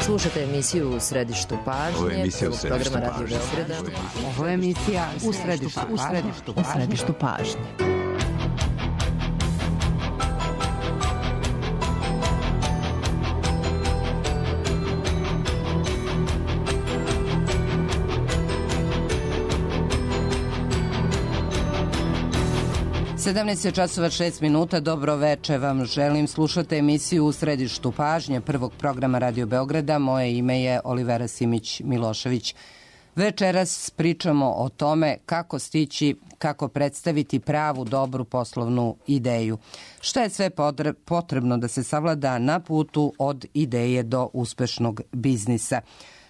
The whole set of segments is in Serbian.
Slušate emisiju U središtu pažnje. Ovo je emisija U središtu programa Radio Beograda. Ovo je emisija U središtu pažnje. Sedamnaest časova 6 minuta, dobro veče vam želim. Slušate emisiju U središtu pažnje prvog programa Radio Beograda. Moje ime je Olivera Simić-Milošević. Večeras pričamo o tome kako stići, kako predstaviti pravu, dobru poslovnu ideju. Šta je sve potrebno da se savlada na putu od ideje do uspešnog biznisa?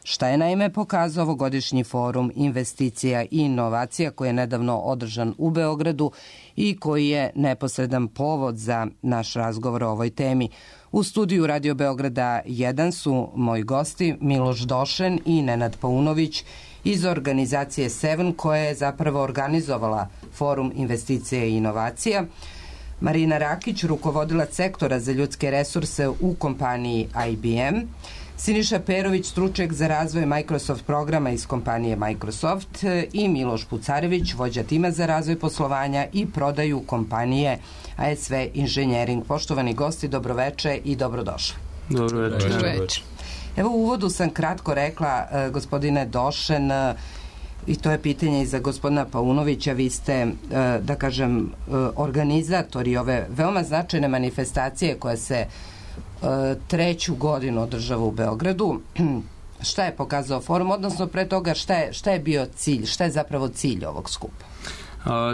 Šta je naime pokazao ovogodišnji forum investicija i inovacija koji je nedavno održan u Beogradu i koji je neposredan povod za naš razgovor o ovoj temi. U studiju Radio Beograda 1 su moji gosti Miloš Došen i Nenad Paunović iz organizacije Seven koja je zapravo organizovala forum investicija i inovacija, Marina Rakić, rukovodilac sektora za ljudske resurse u kompaniji IBM, Siniša Perović, stručnjak za razvoj Microsoft programa iz kompanije Microsoft i Miloš Pucarević, vođa tima za razvoj poslovanja i prodaju kompanije ASV Engineering. Poštovani gosti, dobroveče i dobrodošli. Dobroveče. Evo u uvodu sam kratko rekla, gospodine Došen, i to je pitanje i za gospodina Paunovića, vi ste, da kažem, organizatori ove veoma značajne manifestacije koja se treću godinu održava u Beogradu. Šta je pokazao forum, odnosno pre toga šta je bio cilj, šta je zapravo cilj ovog skupa?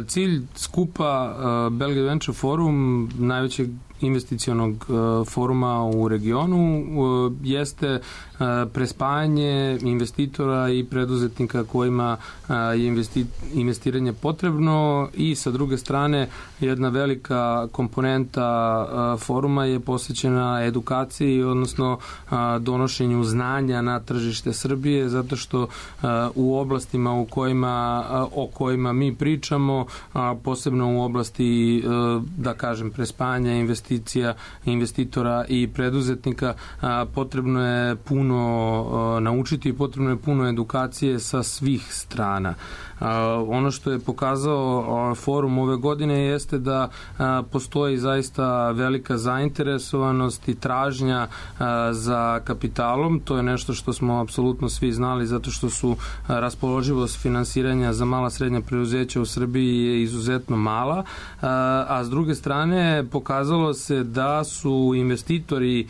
Cilj skupa Belgrade Venture Forum, najvećeg investicionog foruma u regionu, jeste prespajanje investitora i preduzetnika kojima je investiranje potrebno i sa druge strane jedna velika komponenta foruma je posvećena edukaciji, odnosno donošenju znanja na tržište Srbije, zato što u oblastima o kojima mi pričamo, posebno u oblasti, da kažem, prespajanja investitora i preduzetnika, potrebno je puno naučiti i potrebno je puno edukacije sa svih strana. Ono što je pokazao forum ove godine jeste da postoji zaista velika zainteresovanost i tražnja za kapitalom. To je nešto što smo apsolutno svi znali zato što su raspoloživost finansiranja za mala srednja preduzeća u Srbiji je izuzetno mala, a s druge strane pokazalo se da su investitori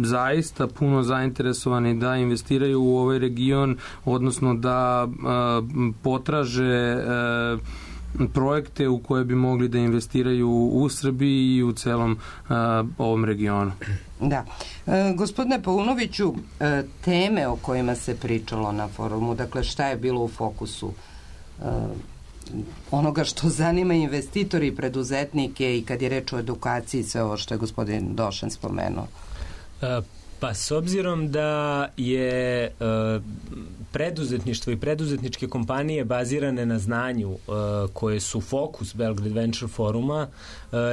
zaista puno zainteresovani da investiraju u ovaj region, odnosno da potraže projekte u koje bi mogli da investiraju u Srbiji i u celom ovom regionu. Da. Gospodine Paunoviću, teme o kojima se pričalo na forumu, dakle šta je bilo u fokusu onoga što zanima investitori i preduzetnike i kad je reč o edukaciji, sve ovo što je gospodin Došen spomenuo? Pa s obzirom da je preduzetništvo i preduzetničke kompanije bazirane na znanju koje su fokus Belgrade Venture Foruma,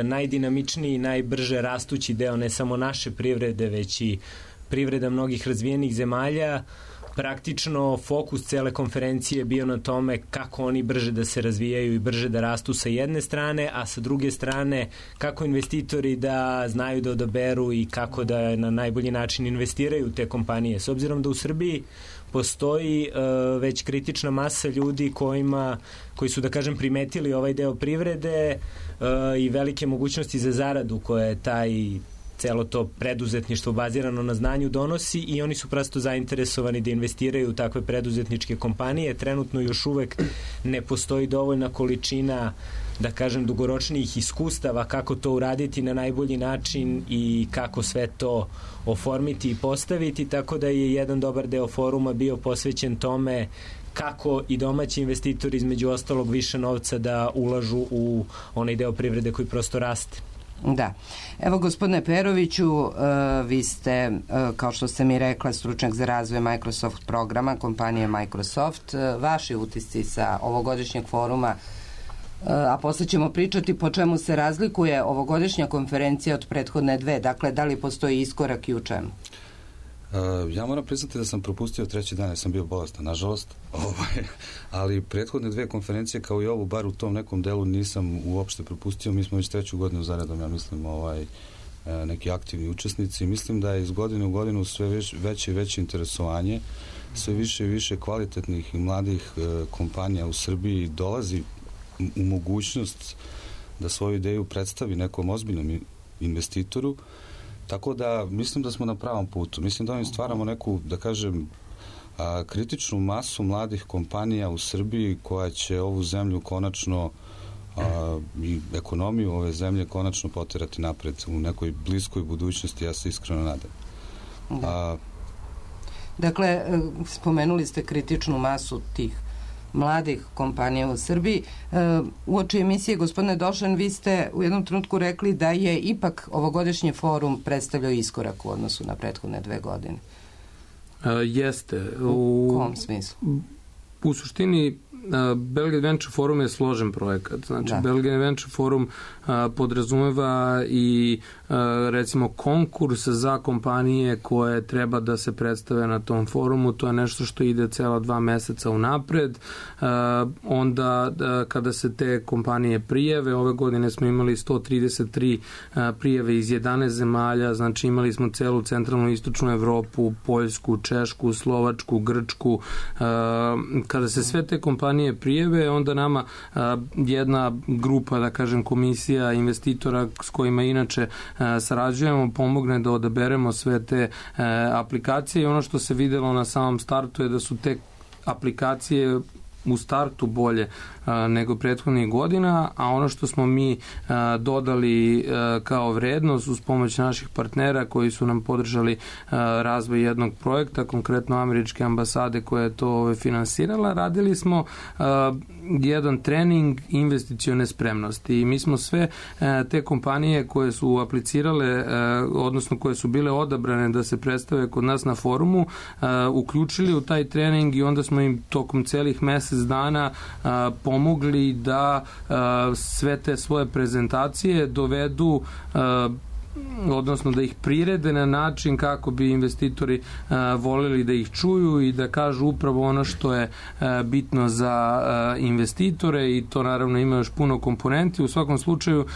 najdinamičniji i najbrže rastući deo ne samo naše privrede, već i privreda mnogih razvijenih zemalja, praktično fokus cele konferencije je bio na tome kako oni brže da se razvijaju i brže da rastu sa jedne strane, a sa druge strane kako investitori da znaju da odaberu i kako da na najbolji način investiraju u te kompanije. S obzirom da u Srbiji postoji već kritična masa ljudi koji su, da kažem, primetili ovaj deo privrede i velike mogućnosti za zaradu koje je celo to preduzetništvo bazirano na znanju donosi i oni su prosto zainteresovani da investiraju u takve preduzetničke kompanije. Trenutno još uvek ne postoji dovoljna količina, da kažem, dugoročnijih iskustava kako to uraditi na najbolji način i kako sve to oformiti i postaviti, tako da je jedan dobar deo foruma bio posvećen tome kako i domaći investitori između ostalog više novca da ulažu u onaj deo privrede koji prosto raste. Da. Evo, gospodine Peroviću, vi ste, kao što ste mi rekla, stručnjak za razvoj Microsoft programa, kompanije Microsoft. Vaši utisci sa ovogodišnjeg foruma, a posle ćemo pričati po čemu se razlikuje ovogodišnja konferencija od prethodne dve. Dakle, da li postoji iskorak i u čemu? Ja moram priznati da sam propustio 3. dan, jer sam bio bolestan, nažalost, ali prethodne 2 konferencije, kao i ovu, bar u tom nekom delu nisam uopšte propustio. Mi smo već 3. godinu zaredom, ja mislim, neki aktivni učesnici. Mislim da je iz godine u godinu sve veće i veće interesovanje, sve više i više kvalitetnih i mladih kompanija u Srbiji dolazi u mogućnost da svoju ideju predstavi nekom ozbiljnom investitoru. Tako da mislim da smo na pravom putu. Mislim da ovim stvaramo neku, da kažem, kritičnu masu mladih kompanija u Srbiji koja će ovu zemlju konačno i ekonomiju ove zemlje konačno poterati napred u nekoj bliskoj budućnosti, ja se iskreno nadam. Dakle, spomenuli ste kritičnu masu tih mladih kompanija u Srbiji. Uoči emisije, gospodine Došan, vi ste u jednom trenutku rekli da je ipak ovogodišnji forum predstavljao iskorak u odnosu na prethodne 2 godine. Jeste. U kom smislu? U suštini, Belgrade Venture Forum je složen projekat. Znači, Belgrade Venture Forum podrazumeva i recimo konkurs za kompanije koje treba da se predstave na tom forumu. To je nešto što ide cela 2 meseca unapred. Onda kada se te kompanije prijave, ove godine smo imali 133 prijave iz 11 zemalja, znači imali smo celu centralnu i istočnu Evropu, Poljsku, Češku, Slovačku, Grčku. Kada se sve te kompanije prijave, onda nama jedna grupa, da kažem, komisija investitora s kojima inače sarađujemo, pomogne da odaberemo sve te aplikacije i ono što se videlo na samom startu je da su te aplikacije u startu bolje nego prethodnih godina, a ono što smo mi dodali kao vrednost uz pomoć naših partnera koji su nam podržali razvoj jednog projekta, konkretno američke ambasade koja je to finansirala, radili smo jedan trening investicione spremnosti i mi smo sve te kompanije koje su aplicirale, odnosno koje su bile odabrane da se predstave kod nas na forumu, uključili u taj trening i onda smo im tokom celih mesec dana pomogli da sve te svoje prezentacije dovedu, odnosno da ih prirede na način kako bi investitori voleli da ih čuju i da kažu upravo ono što je bitno za investitore i to naravno ima još puno komponenti. U svakom slučaju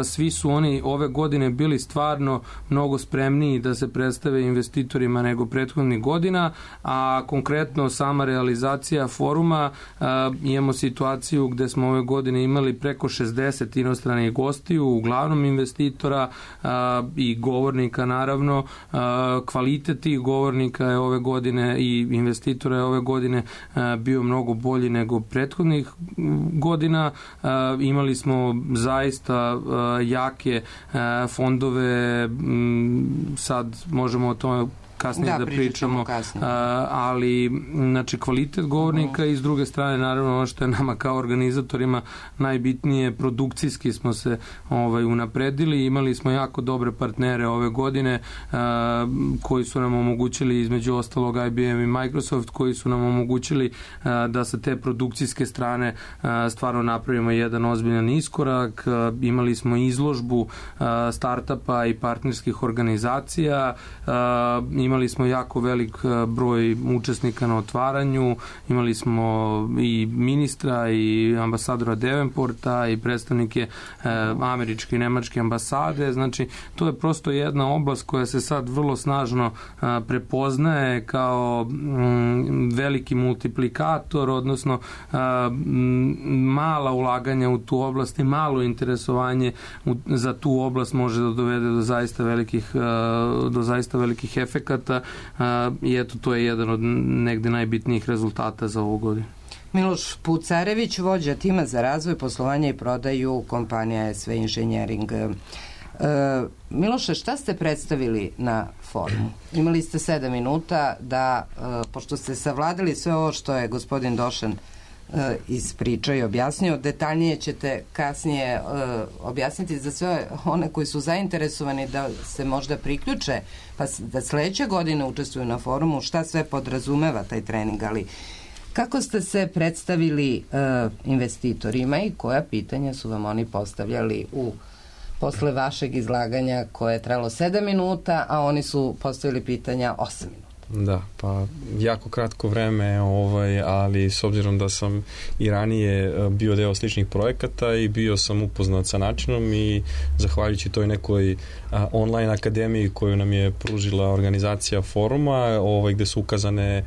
svi su oni ove godine bili stvarno mnogo spremniji da se predstave investitorima nego prethodnih godina, a konkretno sama realizacija foruma, imamo situaciju gde smo ove godine imali preko 60 inostranih gostiju, uglavnom investitora i govornika naravno. Kvalitet tih govornika je ove godine i investitora je ove godine bio mnogo bolji nego prethodnih godina. Imali smo zaista jake fondove, sad možemo o tome kasnije da pričamo, ali znači kvalitet govornika i s druge strane naravno ono što je nama kao organizatorima najbitnije, produkcijski smo se unapredili, imali smo jako dobre partnere ove godine koji su nam omogućili između ostalog IBM i Microsoft koji su nam omogućili da sa te produkcijske strane stvarno napravimo jedan ozbiljan iskorak. Imali smo izložbu startupa i partnerskih organizacija, imali smo jako velik broj učesnika na otvaranju, imali smo i ministra i ambasadora Davenporta i predstavnike američke i nemačke ambasade, znači to je prosto jedna oblast koja se sad vrlo snažno prepoznaje kao veliki multiplikator, odnosno mala ulaganja u tu oblast i malo interesovanje za tu oblast može da dovede do zaista velikih efekata i eto to je jedan od negde najbitnijih rezultata za ovu godinu. Miloš Pucarević, vođa tima za razvoj, poslovanja i prodaju kompanija SV Engineering. Miloše, šta ste predstavili na forumu? Imali ste 7 minuta da, pošto ste savladali sve ovo što je gospodin Došan ispričao i objasnio, detaljnije ćete kasnije objasniti za sve one koji su zainteresovani da se možda priključe, pa da sledeće godine učestvuju na forumu, šta sve podrazumeva taj trening, ali kako ste se predstavili investitorima i koja pitanja su vam oni postavljali u posle vašeg izlaganja koje je trajalo 7 minuta, a oni su postavili pitanja 8 minuta. Da, pa jako kratko vreme, ali s obzirom da sam i ranije bio deo sličnih projekata i bio sam upoznat sa načinom i zahvaljujući toj nekoj online akademiji koju nam je pružila organizacija foruma, gde su ukazane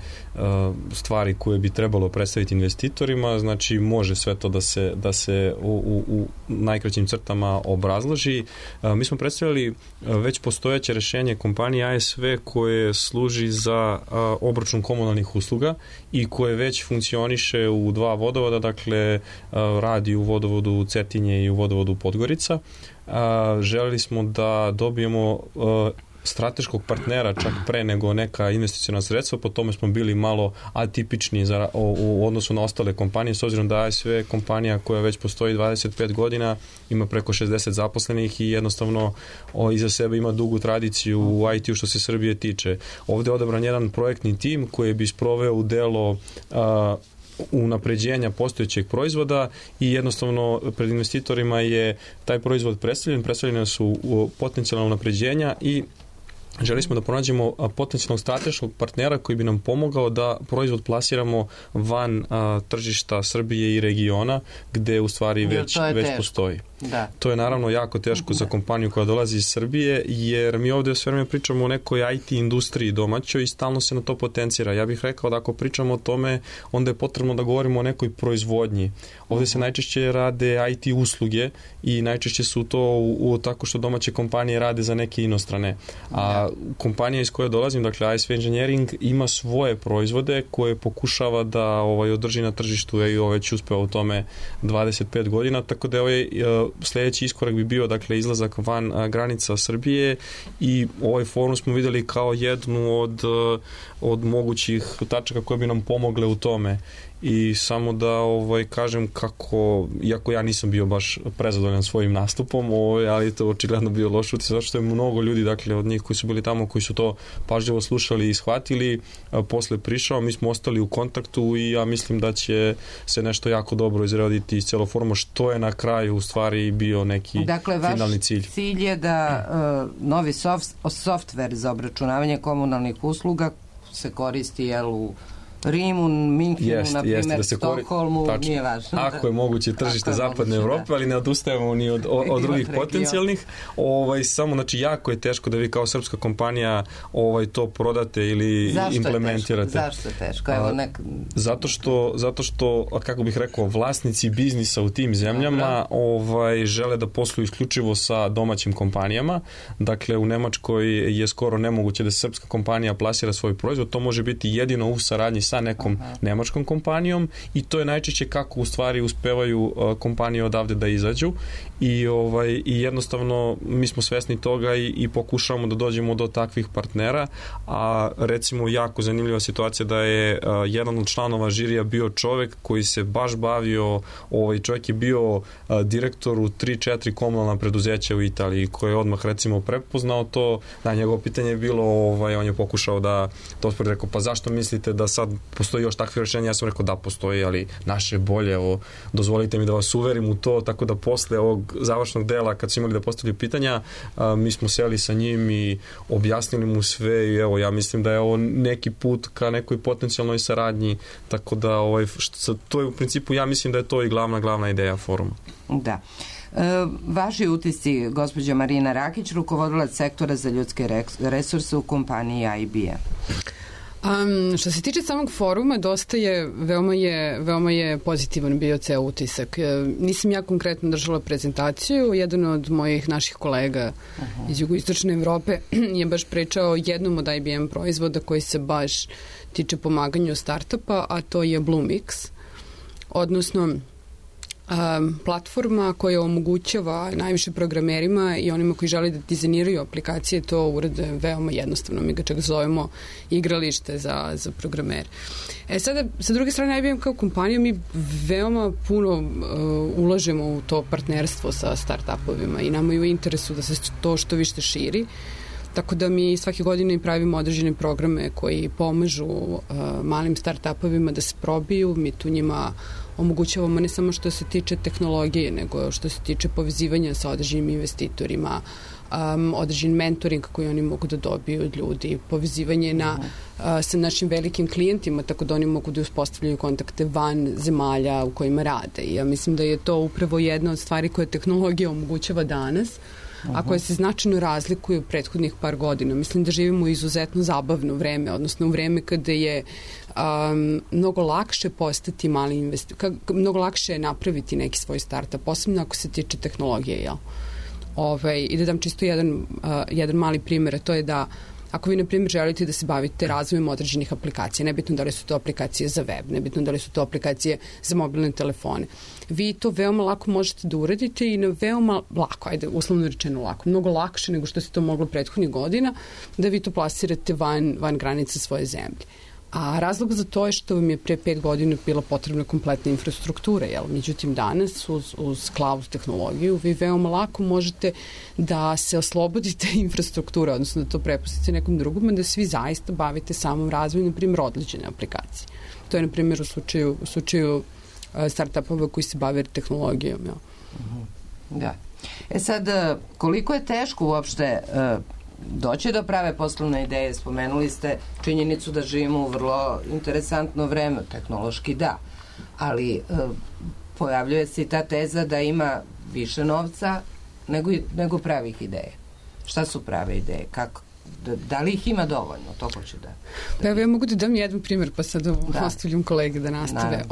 stvari koje bi trebalo predstaviti investitorima, znači može sve to da se u najkraćim crtama obrazloži. Mi smo predstavili već postojeće rešenje kompanije ASV koje služi za obračun komunalnih usluga i koje već funkcioniše u 2 vodovoda, dakle radi u vodovodu Cetinje i u vodovodu Podgorica. Želeli smo da dobijemo strateškog partnera čak pre nego neka investiciona sredstva, po tome smo bili malo atipični u odnosu na ostale kompanije, s obzirom da ASV kompanija koja već postoji 25 godina, ima preko 60 zaposlenih i jednostavno iza sebe ima dugu tradiciju u IT-u što se Srbije tiče. Ovde je odabran jedan projektni tim koji bi sproveo u delo unapređenja postojećeg proizvoda i jednostavno pred investitorima je taj proizvod predstavljene su potencijalna unapređenja i želi smo da pronađemo potencijalnog strateškog partnera koji bi nam pomogao da proizvod plasiramo van tržišta Srbije i regiona gde u stvari već postoji. Da. To je naravno jako teško za kompaniju koja dolazi iz Srbije, jer mi ovde sve vreme pričamo o nekoj IT industriji domaćoj i stalno se na to potencira. Ja bih rekao da ako pričamo o tome, onda je potrebno da govorimo o nekoj proizvodnji. Ovde se najčešće rade IT usluge i najčešće su to tako što domaće kompanije rade za neke inostrane. A kompanija iz koje dolazim, dakle ASV Engineering, ima svoje proizvode koje pokušava da održi na tržištu i već uspeo u tome 25 godina, tako da sledeći iskorak bi bio dakle izlazak van granica Srbije i ovaj forum smo videli kao jednu od mogućih tačaka koje bi nam pomogle u tome. I samo da kažem kako, iako ja nisam bio baš prezadovoljan svojim nastupom, ali to očigledno bio loš utisak, zato što je mnogo ljudi, dakle od njih koji su bili tamo, koji su to pažljivo slušali i shvatili, posle prišao, mi smo ostali u kontaktu i ja mislim da će se nešto jako dobro izraditi iz celo foruma, što je na kraju u stvari bio neki finalni cilj. Dakle, vaš cilj je da novi softver za obračunavanje komunalnih usluga se koristi u Rimu, Minhenu, na primjer, Stokholmu, nije važno. Ako je moguće tržište zapadne Evrope, ali ne odustajemo ni od drugih potencijalnih. Samo, znači, jako je teško da vi kao srpska kompanija to prodate ili implementirate. Zašto je teško? Zato što, kako bih rekao, vlasnici biznisa u tim zemljama žele da posluju isključivo sa domaćim kompanijama. Dakle, u Nemačkoj je skoro nemoguće da srpska kompanija plasira svoj proizvod. To može biti jedino u saradnji sa nekom nemačkom kompanijom i to je najčešće kako u stvari uspevaju kompanije odavde da izađu i jednostavno mi smo svesni toga i pokušavamo da dođemo do takvih partnera, a recimo jako zanimljiva situacija da je jedan od članova žirija bio čovek koji se baš bavio, čovek je bio direktor u 3-4 komunalna preduzeća u Italiji, koji je odmah recimo prepoznao to, da njegovo pitanje je bilo, on je pokušao da to uspori, rekao, pa zašto mislite da sad postoji još takve rešenja? Ja sam rekao da postoji, ali naše je bolje, dozvolite mi da vas uverim u to, tako da posle ovog završnog dela, kad su imali da postavili pitanja, mi smo seli sa njim i objasnili mu sve i ja mislim da je ovo neki put ka nekoj potencijalnoj saradnji, tako da to je u principu, ja mislim da je to i glavna ideja foruma. Da. Vaši utisci, gospođa Marina Rakić, rukovodilac sektora za ljudske resurse u kompaniji IBM. Što se tiče samog foruma, veoma je pozitivan bio ceo utisak. Nisam ja konkretno držala prezentaciju, jedan od mojih naših kolega iz jugoistočne Evrope je baš pričao jednom od IBM proizvoda koji se baš tiče pomaganju startupa, a to je Bluemix, odnosno platforma koja omogućava najviše programerima i onima koji žele da dizajniraju aplikacije to urade veoma jednostavno. Mi ga čak zovemo igralište za programere. Sada, sa druge strane, IBM kao kompanija, mi veoma puno ulažemo u to partnerstvo sa startupovima i nama je u interesu da se to što više širi. Tako da mi svake godine pravimo određene programe koji pomažu malim start-upovima da se probiju. Mi tu njima omogućavamo ne samo što se tiče tehnologije, nego što se tiče povezivanja sa određenim investitorima, određen mentoring koji oni mogu da dobiju od ljudi, povezivanje sa našim velikim klijentima, tako da oni mogu da uspostavljaju kontakte van zemalja u kojima rade. I ja mislim da je to upravo jedna od stvari koje tehnologija omogućava danas, a koje se značajno razlikuju prethodnih par godina. Mislim da živimo u izuzetno zabavno vreme, odnosno u vreme kada je mnogo lakše postati mali investitor, mnogo lakše je napraviti neki svoj startup, posebno ako se tiče tehnologije, jel? I da dam čisto jedan mali primjer, a to je da ako vi, na primjer, želite da se bavite razvojem određenih aplikacija, nebitno da li su to aplikacije za web, nebitno da li su to aplikacije za mobilne telefone, vi to veoma lako možete da uradite i na veoma lako, uslovno rečeno lako, mnogo lakše nego što se to moglo prethodnih godina, da vi to plasirate van granica svoje zemlje. A razlog za to je što vam je pre 5 godina bila potrebna kompletna infrastruktura, jel? Međutim, danas uz cloud tehnologiju vi veoma lako možete da se oslobodite infrastrukture, odnosno da to prepustite nekom drugom, da svi zaista bavite samom razvojem, na primjer, odličene aplikacije. To je, na primjer, u slučaju startupova koji se bave tehnologijom. Jel? Da. Sad, koliko je teško uopšte doći do prave poslovne ideje? Spomenuli ste činjenicu da živimo u vrlo interesantno vreme, tehnološki da, ali pojavljuje se i ta teza da ima više novca nego pravih ideja. Šta su prave ideje? Kako? Da li ih ima dovoljno? To hoću da... Pa evo, ja mogu da dam jedan primjer, pa sad ostavljam kolege da nastave.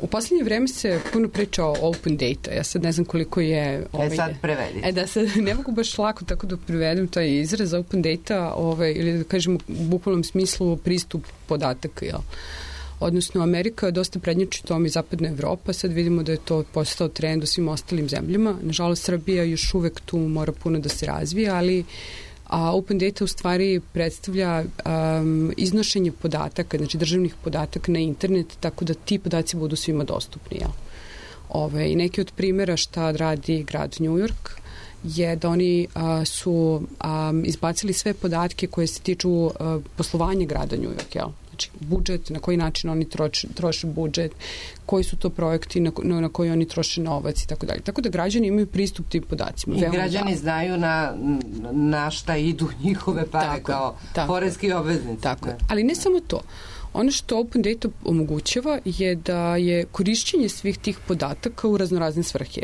U poslednje vreme se puno priča o open data. Ja sad ne znam koliko je... sad prevedite. Da sad ne mogu baš lako tako da prevedem taj izraz open data, ili da kažemo u bukvalnom smislu pristup podataka, jel? Odnosno, Amerika je dosta prednjači tom i zapadna Evropa. Sad vidimo da je to postao trend u svim ostalim zemljama. Nažalost, Srbija još uvek tu mora puno da se razvija, ali open data u stvari predstavlja iznošenje podataka, znači državnih podataka na internet, tako da ti podaci budu svima dostupni. I neki od primjera šta radi grad New York je da oni su izbacili sve podatke koje se tiču poslovanja grada New York, jel? Znači, budžet, na koji način oni troše budžet, koji su to projekti na koji oni troše novac i tako dalje. Tako da građani imaju pristup tim podacima. I građani znaju na šta idu njihove pare kao poreski obveznici. Tako. Ali ne samo to. Ono što open data omogućava je da je korišćenje svih tih podataka u raznorazne svrhe.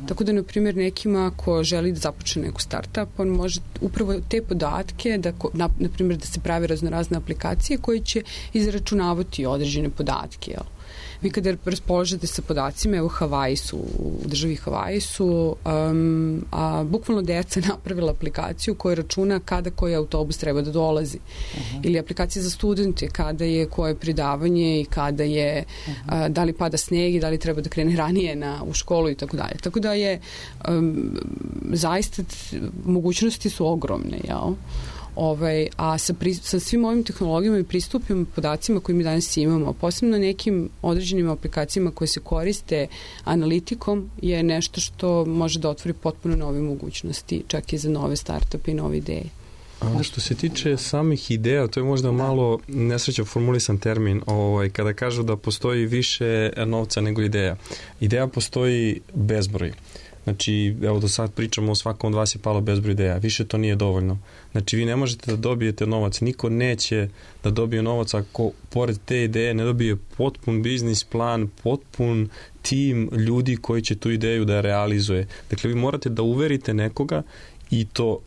Tako da, na primjer, nekima ko želi da započne neku startup, on može upravo te podatke, na primjer, da se prave raznorazne aplikacije koje će izračunavati određene podatke. Vi kada raspoložete sa podacima, evo u državi Havaji su bukvalno deca napravila aplikaciju koja računa kada koji autobus treba da dolazi. Ili aplikacija za studente, kada je koje predavanje i kada je, da li pada sneg i da li treba da krene ranije u školu i tako dalje. Tako da je zaista mogućnosti su ogromne, jel? A sa svim ovim tehnologijama i pristupima podacima koje mi danas imamo, posebno nekim određenim aplikacijama koje se koriste analitikom, je nešto što može da otvori potpuno nove mogućnosti, čak i za nove startupe i nove ideje. A što se tiče samih ideja, to je možda malo nesrećno formulisan termin, kada kažu da postoji više novca nego ideja. Ideja postoji bezbroj. Znači, evo do sad pričamo o svakom od vas je palo bezbroj ideja. Više to nije dovoljno. Znači, vi ne možete da dobijete novac. Niko neće da dobije novac ako pored te ideje ne dobije potpun biznis plan, potpun tim ljudi koji će tu ideju da realizuje. Dakle, vi morate da uverite nekoga i to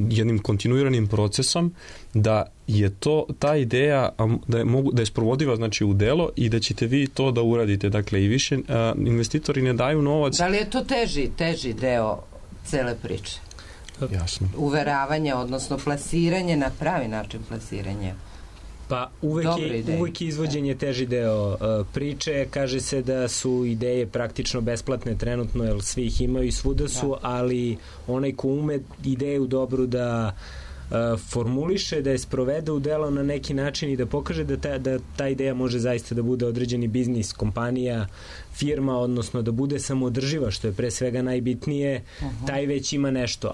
jednim kontinuiranim procesom da je ta ideja da je sprovodiva, znači, u delo i da ćete vi to da uradite. Dakle, i više investitori ne daju novac. Da li je to teži deo cele priče? Uveravanje, odnosno plasiranje na pravi način plasiranje. Pa uvek izvođenje teži deo priče. Kaže se da su ideje praktično besplatne trenutno, jer svi ih imaju i svuda su, ali onaj ko ume ideju dobru da formuliše, da je sprovede u delo na neki način i da pokaže da ta ideja može zaista da bude određeni biznis, kompanija, firma, odnosno da bude samoodrživa, što je pre svega najbitnije, taj već ima nešto.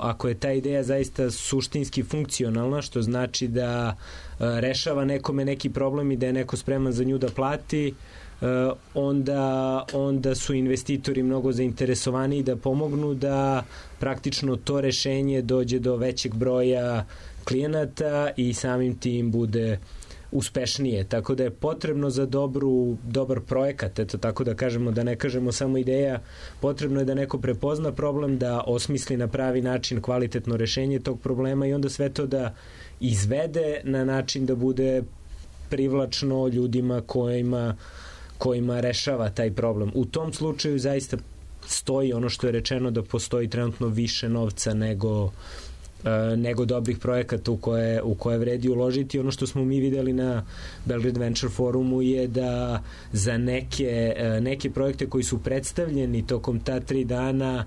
Ako je ta ideja zaista suštinski funkcionalna, što znači da rešava nekome neki problem i da je neko spreman za nju da plati, onda su investitori mnogo zainteresovani da pomognu da praktično to rešenje dođe do većeg broja klijenata i samim tim bude uspešnije. Tako da je potrebno za dobar projekat, eto tako da kažemo, da ne kažemo samo ideja, potrebno je da neko prepozna problem, da osmisli na pravi način kvalitetno rešenje tog problema i onda sve to da izvede na način da bude privlačno ljudima kojima rešava taj problem. U tom slučaju zaista stoji ono što je rečeno, da postoji trenutno više novca nego dobrih projekata u koje vredi uložiti. Ono što smo mi videli na Belgrade Venture Forumu je da za neke projekte koji su predstavljeni tokom ta 3 dana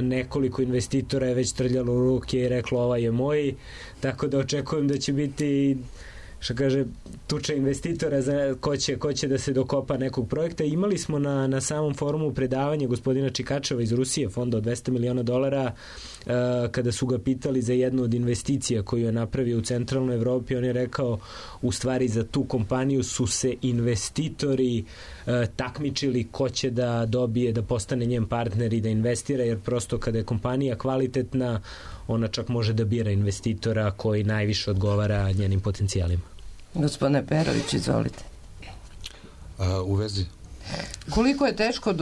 nekoliko investitora je već trljalo u ruke i reklo ovaj je moj, tako da očekujem da će biti, što kaže, tuča investitora za ko će da se dokopa nekog projekta. Imali smo na samom forumu predavanje gospodina Čikačeva iz Rusije, fonda od $200 miliona, kada su ga pitali za jednu od investicija koju je napravio u centralnoj Evropi, on je rekao, u stvari za tu kompaniju su se investitori takmičili ko će da dobije, da postane njen partner i da investira, jer prosto kada je kompanija kvalitetna, ona čak može da bira investitora koji najviše odgovara njenim potencijalima. Gospodine Perović, izvolite. U vezi. Koliko je teško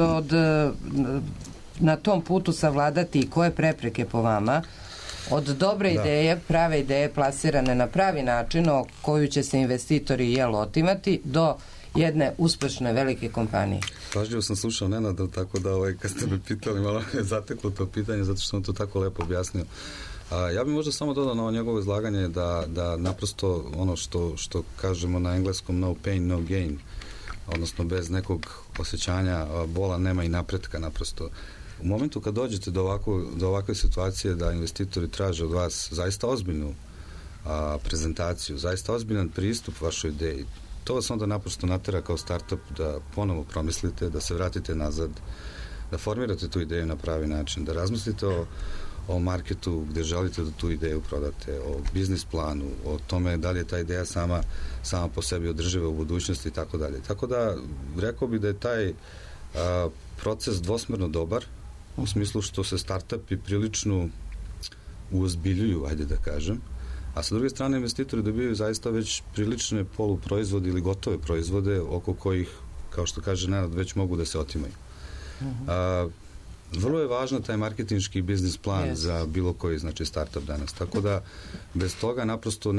na tom putu savladati i koje prepreke po vama od dobre ideje, prave ideje plasirane na pravi način o koju će se investitori otimati do jedne uspešne velike kompanije? Pažljivo sam slušao Nenada, tako da kad ste me pitali, malo je zateklo to pitanje, zato što sam to tako lepo objasnio. Ja bih možda samo dodao na ovo njegovo izlaganje da naprosto ono što kažemo na engleskom no pain, no gain, odnosno bez nekog osjećanja bola nema i napretka naprosto. U momentu kad dođete do ovakve situacije da investitori traže od vas zaista ozbiljnu prezentaciju, zaista ozbiljan pristup vašoj ideji, to vas onda naprosto natera kao startup da ponovo promislite, da se vratite nazad, da formirate tu ideju na pravi način, da razmislite o marketu gde želite da tu ideju prodate, o biznis planu, o tome da li je ta ideja sama po sebi održiva u budućnosti i tako dalje. Tako da, rekao bih da je taj proces dvosmerno dobar, u smislu što se startupi prilično uozbiljuju, ajde da kažem, a sa druge strane investitori dobijaju zaista već prilične poluproizvode ili gotove proizvode oko kojih, kao što kaže Nenad, već mogu da se otimaju. Vrlo je važan taj marketinški biznis plan za bilo koji, znači, startup danas. Tako da bez toga naprosto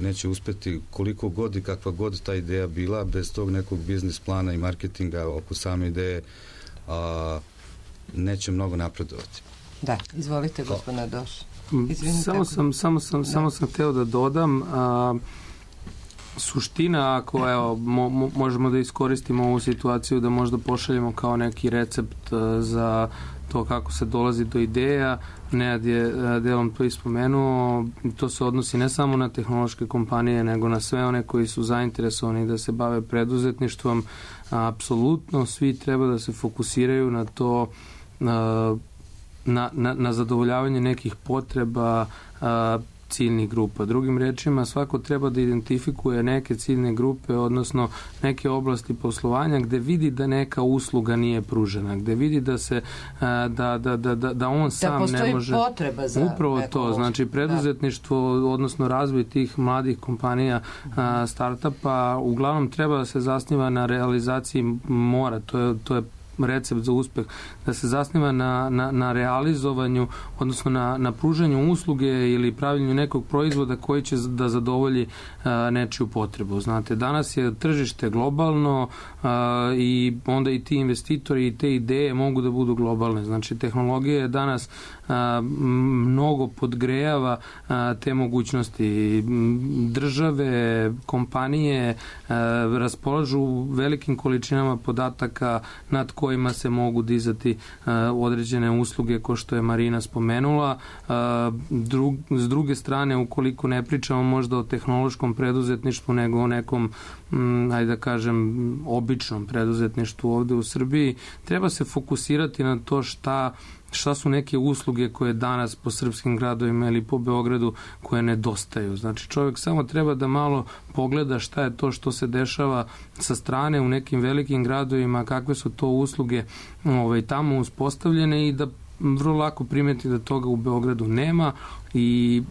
neće uspeti, koliko god i kakva god ta ideja bila, bez tog nekog biznis plana i marketinga oko same ideje neće mnogo napredovati. Da, izvolite, gospodine Doš. Samo sam hteo da dodam, suština, ako možemo da iskoristimo ovu situaciju da možda pošaljemo kao neki recept za to kako se dolazi do ideja, Nenad je delom to ispomenuo, to se odnosi ne samo na tehnološke kompanije, nego na sve one koji su zainteresovani da se bave preduzetništvom. Apsolutno svi treba da se fokusiraju na to, na zadovoljavanje nekih potreba ciljnih grupa. Drugim rečima, svako treba da identifikuje neke ciljne grupe, odnosno neke oblasti poslovanja gde vidi da neka usluga nije pružena, gde vidi da se da on sam ne može. Da postoji potreba za upravo to, znači preduzetništvo, odnosno razvoj tih mladih kompanija, startupa, uglavnom treba da se zasniva na realizaciji to je recept za uspeh, da se zasniva na realizovanju, odnosno na pružanju usluge ili pravljenju nekog proizvoda koji će da zadovolji nečiju potrebu. Znate, danas je tržište globalno i onda i ti investitori i te ideje mogu da budu globalne. Znači, tehnologija je danas mnogo podgrejava te mogućnosti. Države, kompanije raspolažu velikim količinama podataka nad kojim kojima se mogu dizati određene usluge ko što je Marina spomenula. S druge strane, ukoliko ne pričamo možda o tehnološkom preduzetništvu, nego o nekom, ajde da kažem, običnom preduzetništvu ovde u Srbiji, treba se fokusirati na to šta su neke usluge koje danas po srpskim gradovima ili po Beogradu koje nedostaju. Znači čovjek samo treba da malo pogleda šta je to što se dešava sa strane u nekim velikim gradovima, kakve su to usluge tamo uspostavljene i da vrlo lako primeti da toga u Beogradu nema i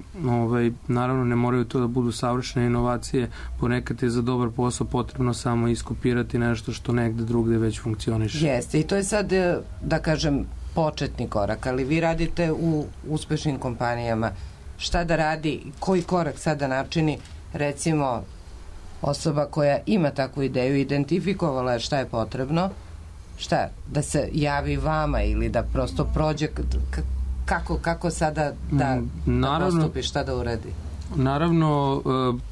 naravno ne moraju to da budu savršene inovacije, ponekad je za dobar posao potrebno samo iskopirati nešto što negde drugde već funkcioniše. Jeste, i to je sad, da kažem, početni korak, ali vi radite u uspešnim kompanijama. Šta da radi, koji korak sada načini, recimo, osoba koja ima takvu ideju, identifikovala je šta je potrebno, šta, da se javi vama ili da prosto prođe, kako sada da postupi, šta da uradi? Naravno,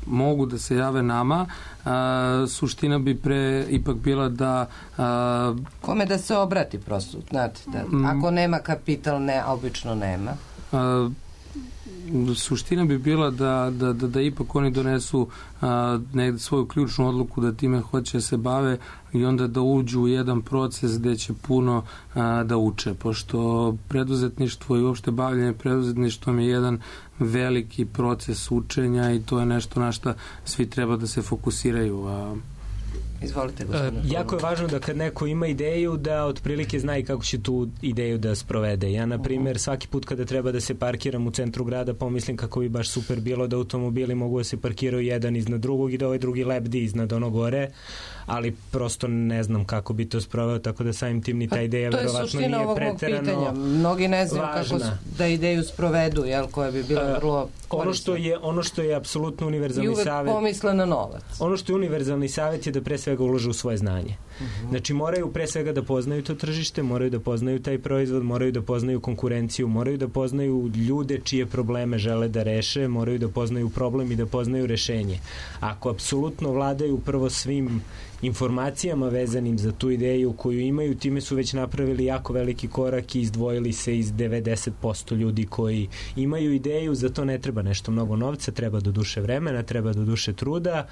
mogu da se jave nama. Suština bi ipak bila da... Kome da se obrati prosto, znate, ako nema kapital, obično nema. Suština bi bila da ipak oni donesu negde svoju ključnu odluku da time hoće se bave i onda da uđu u jedan proces gde će puno da uče, pošto preduzetništvo i uopšte bavljanje preduzetništvom je jedan veliki proces učenja i to je nešto na šta svi treba da se fokusiraju. Izvolite, gospodine. Jako je važno da kad neko ima ideju da otprilike zna i kako će tu ideju da sprovede. Ja, na primjer, svaki put kada treba da se parkiram u centru grada, pomislim kako bi baš super bilo da automobili mogu da se parkiraju jedan iznad drugog i da ovaj drugi lebdi iznad ono gore, ali prosto ne znam kako bi to sproveo, tako da samim tim ni ta ideja verovatno nije preterano važna. Mnogi ne znaju kako da ideju sprovedu, koja bi bila vrlo korisna. Ono što je apsolutno univerzalni savjet... I uvek pomisle na novac. Ono što je univerzalni savjet je da pre svega ulože u svoje znanje. Znači moraju pre svega da poznaju to tržište, moraju da poznaju taj proizvod, moraju da poznaju konkurenciju, moraju da poznaju ljude čije probleme žele da reše, moraju da poznaju problem i da poznaju rešenje. Ako apsolutno vladaju prvo svim informacijama vezanim za tu ideju koju imaju, time su već napravili jako veliki korak i izdvojili se iz 90% ljudi koji imaju ideju. Za to ne treba nešto mnogo novca, treba do duše vremena, treba do duše truda,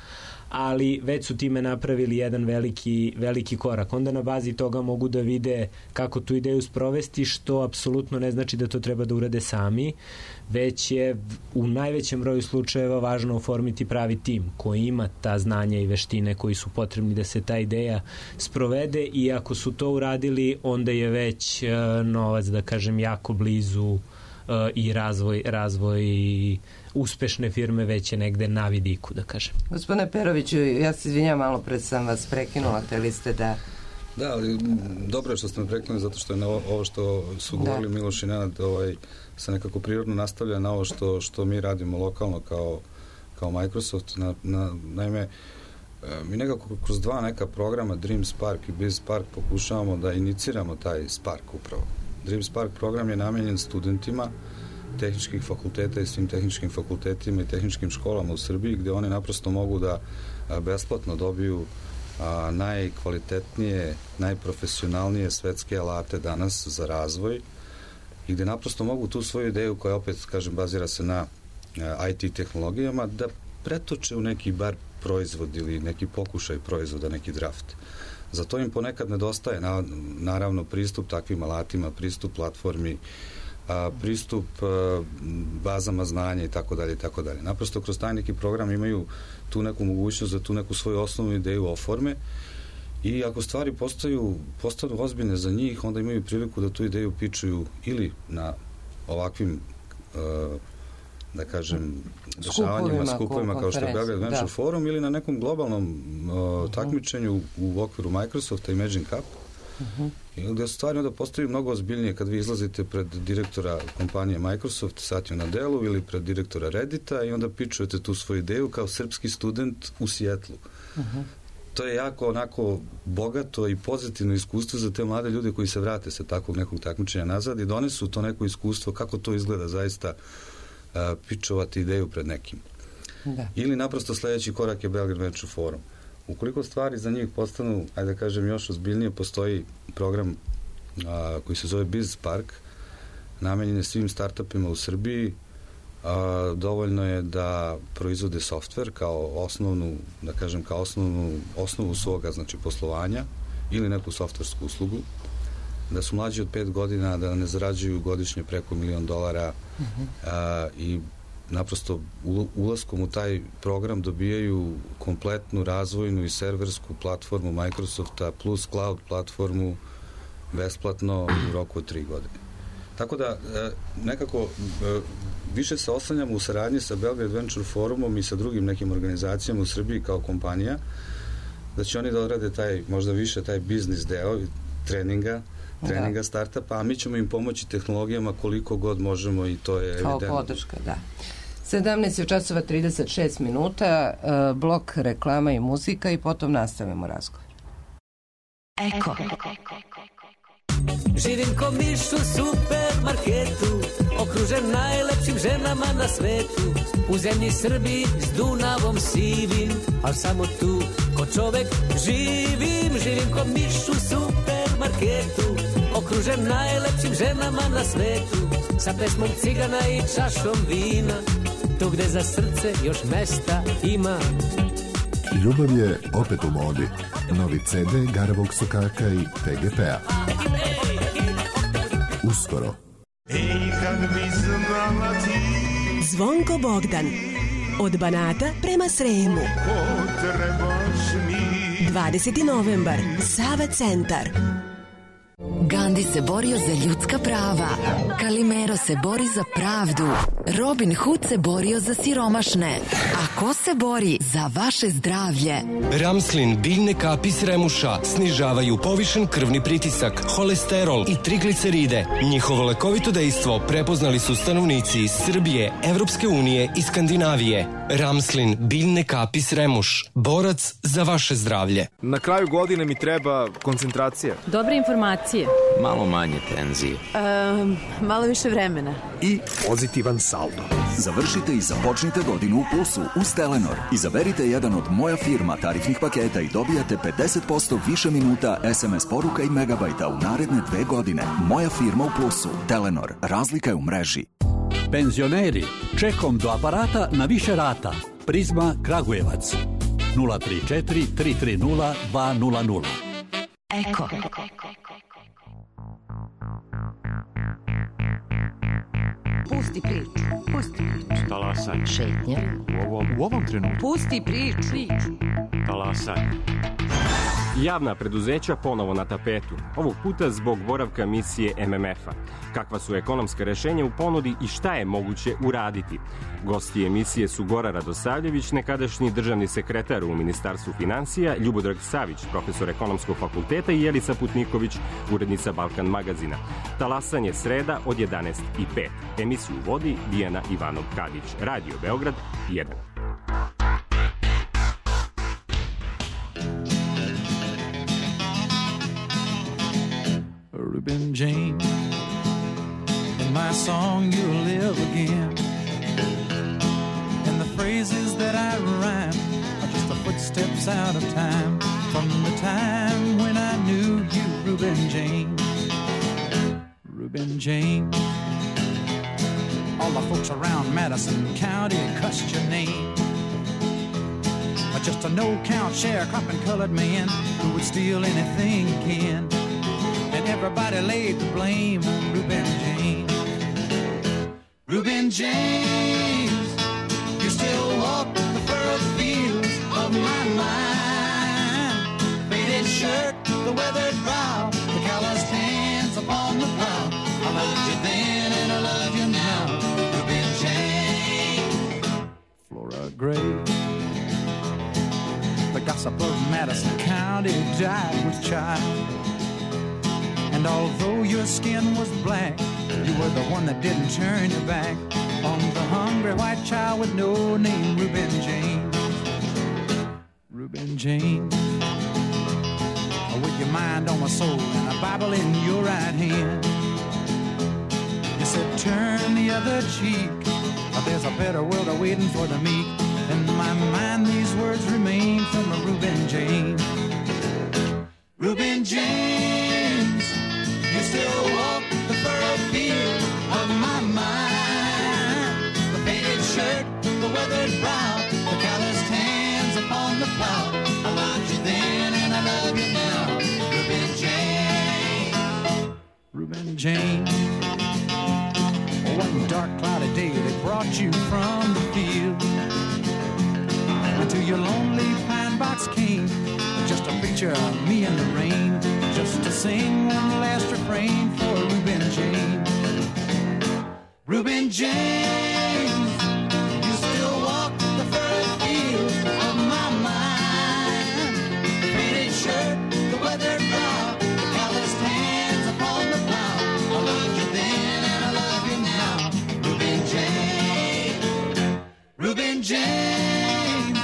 ali već su time napravili jedan veliki korak. Onda na bazi toga mogu da vide kako tu ideju sprovesti, što apsolutno ne znači da to treba da urade sami, već je u najvećem broju slučajeva važno oformiti pravi tim koji ima ta znanja i veštine koji su potrebni da se ta ideja sprovede, i ako su to uradili, onda je već novac, da kažem, jako blizu i razvoj uspešne firme već je negde na vidiku, da kažem. Gospodine Peroviću, ja se izvinjam, malo pred sam vas prekinula, hteli ste da... Da, ali dobro je što ste me prekinuli, zato što je ovo što su govorili Miloš i Nenad se nekako prirodno nastavlja na ovo što mi radimo lokalno kao Microsoft. Naime, mi nekako kroz dva neka programa, Dream Spark i Biz Spark, pokušavamo da iniciramo taj Spark upravo. Dream Spark program je namenjen studentima tehničkih fakulteta i svim tehničkim fakultetima i tehničkim školama u Srbiji, gde oni naprosto mogu da besplatno dobiju najkvalitetnije, najprofesionalnije svetske alate danas za razvoj i gde naprosto mogu tu svoju ideju, koja opet, kažem, bazira se na IT tehnologijama, da pretoče u neki bar proizvod ili neki pokušaj proizvoda, neki draft. Za to im ponekad nedostaje, naravno, pristup takvim alatima, pristup platformi, pristup bazama znanja i tako dalje i tako dalje. Naprosto kroz taj neki program imaju tu neku mogućnost da tu neku svoju osnovnu ideju oforme i ako stvari postanu ozbiljne za njih, onda imaju priliku da tu ideju pičuju ili na ovakvim da kažem dešavanjima, skupovima kao što je Belgrade Venture Forum ili na nekom globalnom takmičenju u okviru Microsofta i Imagine Cup, gde stvari onda postaju mnogo ozbiljnije kad vi izlazite pred direktora kompanije Microsoft, Satju Nadelu, ili pred direktora Reddita i onda pičujete tu svoju ideju kao srpski student u Sijetlu. To je jako onako bogato i pozitivno iskustvo za te mlade ljude koji se vrate sa takvog nekog takmičenja nazad i donesu to neko iskustvo kako to izgleda zaista pičovati ideju pred nekim. Ili naprosto sledeći korak je Belgrade Venture Forum. Ukoliko stvari za njih postanu, ajde da kažem, još ozbiljnije, postoji program koji se zove Biz Park, namenjen je svim startupima u Srbiji. Dovoljno je da proizvode softver kao osnovnu, da kažem, kao osnovu svoga, znači, poslovanja ili neku softversku uslugu, da su mlađi od 5 godina, da ne zarađuju godišnje preko $1 milion i naprosto ulaskom u taj program dobijaju kompletnu razvojnu i serversku platformu Microsofta plus cloud platformu besplatno u roku od 3 godine. Tako da nekako više se oslanjamo u saradnji sa Belgrade Venture Forumom i sa drugim nekim organizacijama u Srbiji kao kompanija, da će oni da odrade možda više taj biznis deo treninga startupa, a mi ćemo im pomoći tehnologijama koliko god možemo i to je evidentno. Kao podrška, da. 17:36, blok reklama i muzika i potom nastavimo razgovor. Eko. Živim ko miš u supermarketu, okružen najlepšim ženama na svetu. U zemlji Srbiji s Dunavom sivim, al samo tu ko čovek živim. Živim ko miš u supermarketu, okružen najlepšim ženama na svetu. Sa pesmom cigana i čašom vina, tu gde za srce još mesta ima. Ljubav je opet u modi. Novi CD Garavog Sokaka i TGP-a. Uskoro. Zvonko Bogdan. Od Banata prema Sremu. 20. novembar. Sava centar. Gandhi se borio za ljudska prava. Kalimero se bori za pravdu. Robin Hood se borio za siromašne. A ko se bori za vaše zdravlje? Ramslin biljne kapi s remuša snižavaju povišen krvni pritisak, holesterol i trigliceride. Njihovo lekovito dejstvo prepoznali su stanovnici iz Srbije, Evropske unije i Skandinavije. Ramslin biljne kapi s remuš. Borac za vaše zdravlje. Na kraju godine mi treba koncentracija. Dobre informacije. Malo manje tenzije. Malo više vremena. I pozitivan saldo. Završite i započnite godinu u plusu uz Telenor. Izaberite jedan od Moja firma tarifnih paketa i dobijate 50% više minuta, SMS poruka i megabajta u naredne 2 godine. Moja firma u plusu. Telenor. Razlika je u mreži. Penzioneri, čekom do aparata na više rata. Prizma Kragujevac. 034 330 200. Eko. Pusti priču. Talasanje. Šetnja. U ovom trenutku. Pusti priču. Talasanje. Javna preduzeća ponovo na tapetu, ovog puta zbog boravka misije MMF-a. Kakva su ekonomska rešenja u ponudi i šta je moguće uraditi? Gosti emisije su Gora Radosavljević, nekadašnji državni sekretar u Ministarstvu finansija, Ljubodrag Savić, profesor ekonomskog fakulteta i Jelica Putniković, urednica Balkan magazina. Talasanje sreda od 11:05. Emisiju vodi Dijana Ivanov-Kadić. Radio Beograd 1. Reuben James, in my song you'll live again, and the phrases that I rhyme are just the footsteps out of time, from the time when I knew you, Reuben James. Reuben James, all the folks around Madison County cussed your name, but just a no-count sharecropping colored man who would steal anything he can. And everybody laid the blame on Reuben James. Reuben James, you still walk the furrowed fields of my mind. Faded shirt, the weathered brow, the calloused hands upon the plow. I loved you then and I love you now, Reuben James. Flora Gray, the gossip of Madison County, died with child. And although your skin was black, you were the one that didn't turn your back on the hungry white child with no name, Reuben James. Reuben James, with your mind on my soul and a Bible in your right hand, you said turn the other cheek, there's a better world awaiting for the meek. In my mind these words remain from a Reuben James. Reuben James, you still walk the furrowed field of my mind. The faded shirt, the weathered brow, the calloused hands upon the plow. I loved you then and I love you now. Reuben James, Reuben James. One dark cloudy day they brought you from the field, and to your lonely pine box came just a picture of me in the rain, just to sing one last refrain for Reuben James. Reuben James, you still walk the furrowed fields of my mind. The faded shirt, the weathered brow, the calloused hands upon the plow. I loved you then and I love you now. Reuben James, Reuben James,